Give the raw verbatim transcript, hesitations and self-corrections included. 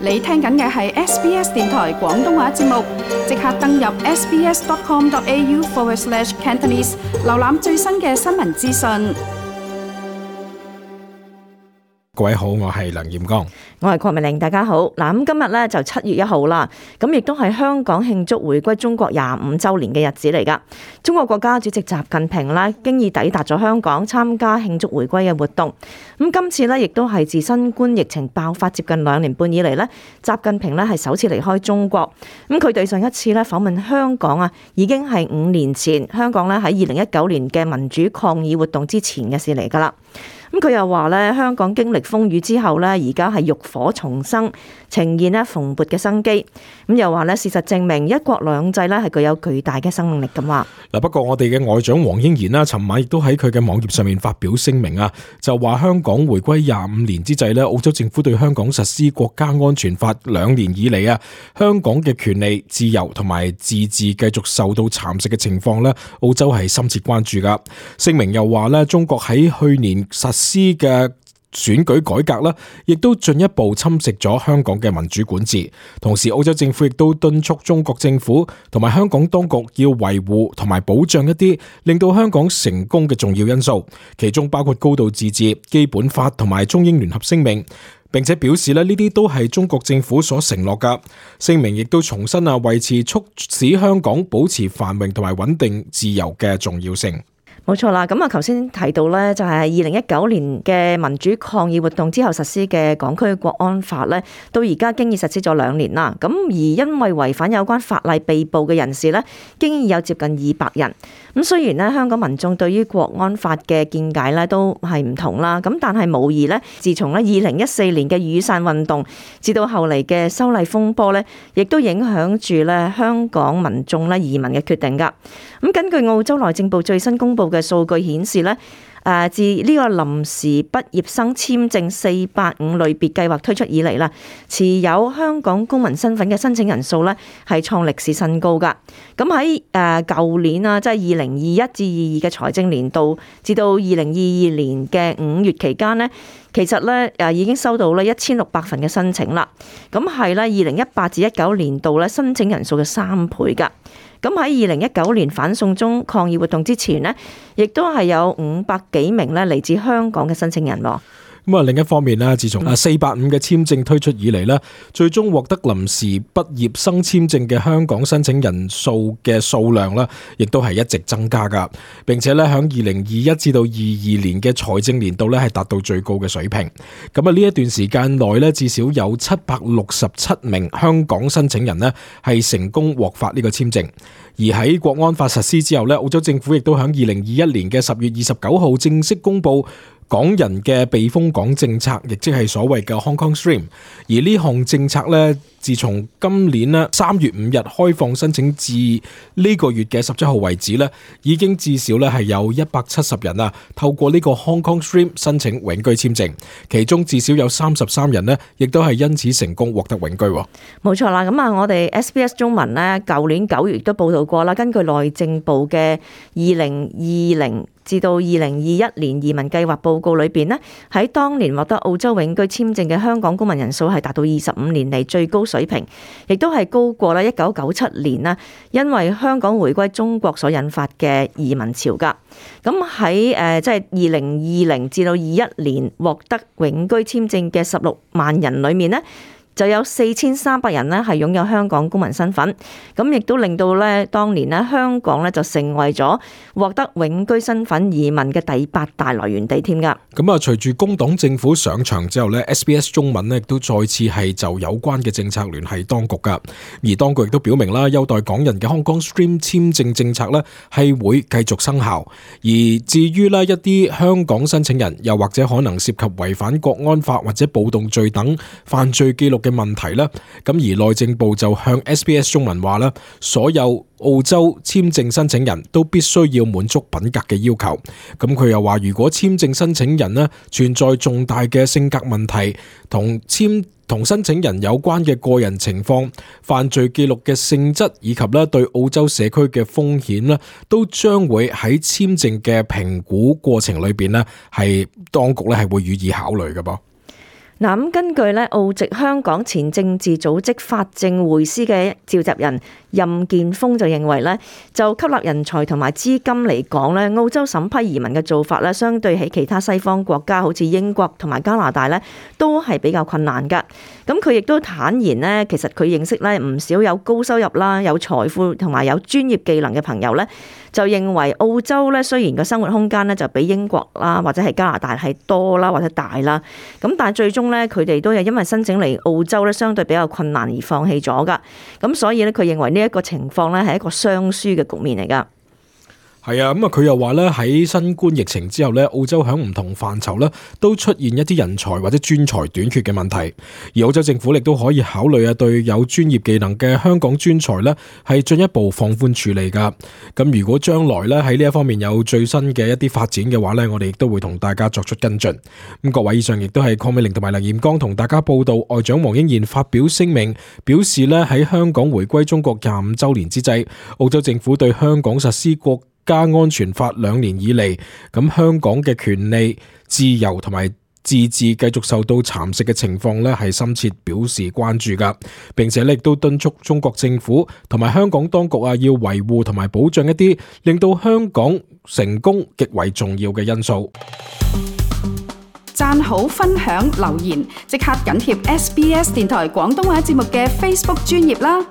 你聽緊嘅係 S B S 電台廣東話節目，即刻登入 sbs.com.au forward slash Cantonese， 瀏覽最新嘅新聞資訊。各位好，我係梁艷剛，我係鄺美玲，大家好。嗱，咁今日咧就七月一號啦，咁亦都係香港慶祝回歸中國廿五週年嘅日子嚟噶。中國國家主席習近平咧經已抵達咗香港參加慶祝回歸嘅活動。咁今次咧亦都係自新冠疫情爆發接近兩年半以嚟咧，習近平咧係首次離開中國。咁佢對上一次咧訪問香港啊，已經係五年前，香港咧喺二零一九年嘅民主抗議活動之前嘅事嚟噶啦。咁佢又話咧，香港經歷風雨之後咧，而家係浴火重生，呈現咧蓬勃嘅生機。咁又話咧，事實證明一國兩制咧係具有巨大嘅生命力咁話。嗱，不過我哋嘅外長黃英賢啦，尋晚亦都喺佢嘅網頁上面發表聲明啊，就話香港回歸廿五年之際咧，澳洲政府對香港實施國家安全法兩年以嚟啊，香港嘅權利、自由同埋自治繼續受到蠶食嘅情況咧，澳洲係深切關注噶。聲明又話咧，中國喺去年實施嘅選舉改革啦，亦都進一步侵蝕咗香港嘅民主管治。同時，澳洲政府亦都敦促中國政府同埋香港當局要維護同埋保障一啲令到香港成功嘅重要因素，其中包括高度自治、基本法同埋中英聯合聲明，並且表示咧呢啲都係中國政府所承諾噶。聲明亦都重申啊，維持促使香港保持繁榮同埋穩定自由嘅重要性。冇錯啦，咁啊，頭先提到咧，就係二零一九年嘅民主抗議活動之後實施嘅港區國安法咧，到而家經已實施咗兩年啦。咁而因為違反有關法例被捕嘅人士咧，經已有接近二百人。咁雖然咧，香港民眾對於國安法嘅見解咧都係唔同啦，咁但係無疑咧，自從咧二零一四年嘅雨傘運動，至到後嚟嘅修例風波咧，亦都影響住咧香港民眾咧移民嘅決定噶。咁根據澳洲內政部最新公布嘅數據顯示咧，誒自呢個臨時畢業生簽證四八五類別計劃推出以嚟啦，持有香港公民身份嘅申請人數咧係創歷史新高噶。咁喺誒舊年啊，即係二零二一至二二嘅財政年度，至到二零二二年嘅五月期間呢，其實咧誒已經收到咧一千六百份嘅申請啦。咁係咧二零一八至一九年度咧申請人數嘅三倍噶。咁喺二零一九年反送中抗議活動之前呢，亦都係有五百幾名咧嚟自香港嘅申請人喎。咁啊，另一方面咧，自從啊四八五嘅簽證推出以嚟咧，最終獲得臨時畢業生簽證嘅香港申請人數嘅數量咧，亦都係一直增加噶，並且咧響二零二一至到二二年嘅財政年度咧係達到最高嘅水平。咁啊呢一段時間內咧，至少有七百六十七名香港申請人咧係成功獲發呢個簽證。而喺國安法實施之後咧，澳洲政府亦都響二零二一年嘅十月二十九號正式公布港人嘅避風港政策，亦即係所謂嘅 Hong Kong Stream。而呢項政策咧，自從今年咧三月五日開放申請至呢個月嘅十七號為止咧，已經至少咧係有一百七十人啊透過呢個 Hong Kong Stream 申請永居簽證，其中至少有三十三人咧，亦都係因此成功獲得永居。冇錯啦，咁啊，我哋 S B S 中文咧，舊年九月都報道過啦，根據內政部嘅二零二零至到二零二一年移民計劃報告裏邊呢，喺當年獲得澳洲永居簽證嘅香港公民人數係達到二十五年嚟最高水平，亦都係高過啦一九九七年啦，因為香港回歸中國所引發嘅移民潮噶。咁喺誒即係二零二零至到二一年獲得永居簽證嘅十六萬人裏面呢，就有四千三百人咧係擁有香港公民身份，咁亦都令到咧當年咧香港咧就成為咗獲得永居身份移民嘅第八大來源地添噶。咁啊，隨住工黨政府上場之後咧 ，S B S 中文咧亦都再次係就有關嘅政策聯繫當局噶，而當局亦都表明啦，優待港人嘅 Hong Kong Stream 簽證政策咧係會繼續生效。而至於咧一啲香港申請人，又或者可能涉及違反國安法或者暴動罪等犯罪記錄嘅問題咧，咁而內政部就向 S B S 中文話咧，所有澳洲簽證申請人都必須要滿足品格嘅要求。咁佢又話，如果簽證申請人咧存在重大嘅性格問題，同簽同申請人有關嘅個人情況、犯罪記錄嘅性質以及咧對澳洲社區嘅風險咧，都將會喺簽證嘅評估過程裏邊咧，係當局咧係會予以考慮嘅噃。嗱，咁根據咧澳籍香港前政治組織法政會師嘅召集人任建峰就認為咧，就吸納人才同埋資金嚟講咧，澳洲審批移民嘅做法咧，相對喺其他西方國家，好似英國同埋加拿大咧，都係比較困難噶。咁佢亦都坦言咧，其實佢認識咧唔少有高收入啦、有財富同埋有專業技能嘅朋友咧，就認為澳洲咧雖然個生活空間咧就比英國啦或者係加拿大係多啦或者大啦，咁但係最終咧佢哋都係因為申請嚟澳洲咧相對比較困難而放棄咗噶。咁所以咧佢認為呢一個情況咧係一個雙輸嘅局面嚟噶。係啊，咁啊佢又話咧喺新冠疫情之後咧，澳洲喺唔同範疇咧都出現一啲人才或者專才短缺嘅問題，而澳洲政府亦都可以考慮啊對有專業技能嘅香港專才咧係進一步放寬處理噶。咁如果將來咧喺呢一方面有最新嘅一啲發展嘅話咧，我哋亦都會同大家作出跟進。咁各位，以上亦都係鄺美玲同埋梁彥剛同大家報道，外長黃英賢發表聲明，表示咧喺香港回歸中國廿五週年之際，澳洲政府對香港實施國家安全法兩年以嚟，咁香港嘅權利、自由同埋自治繼續受到蠶食嘅情況呢，係深切表示關注噶，並且亦都敦促中國政府同埋香港當局啊，要維護同埋保障一啲令到香港成功極為重要嘅因素。讚好、分享、留言，即刻緊貼 S B S 電台廣東話節目嘅 Facebook 專頁啦！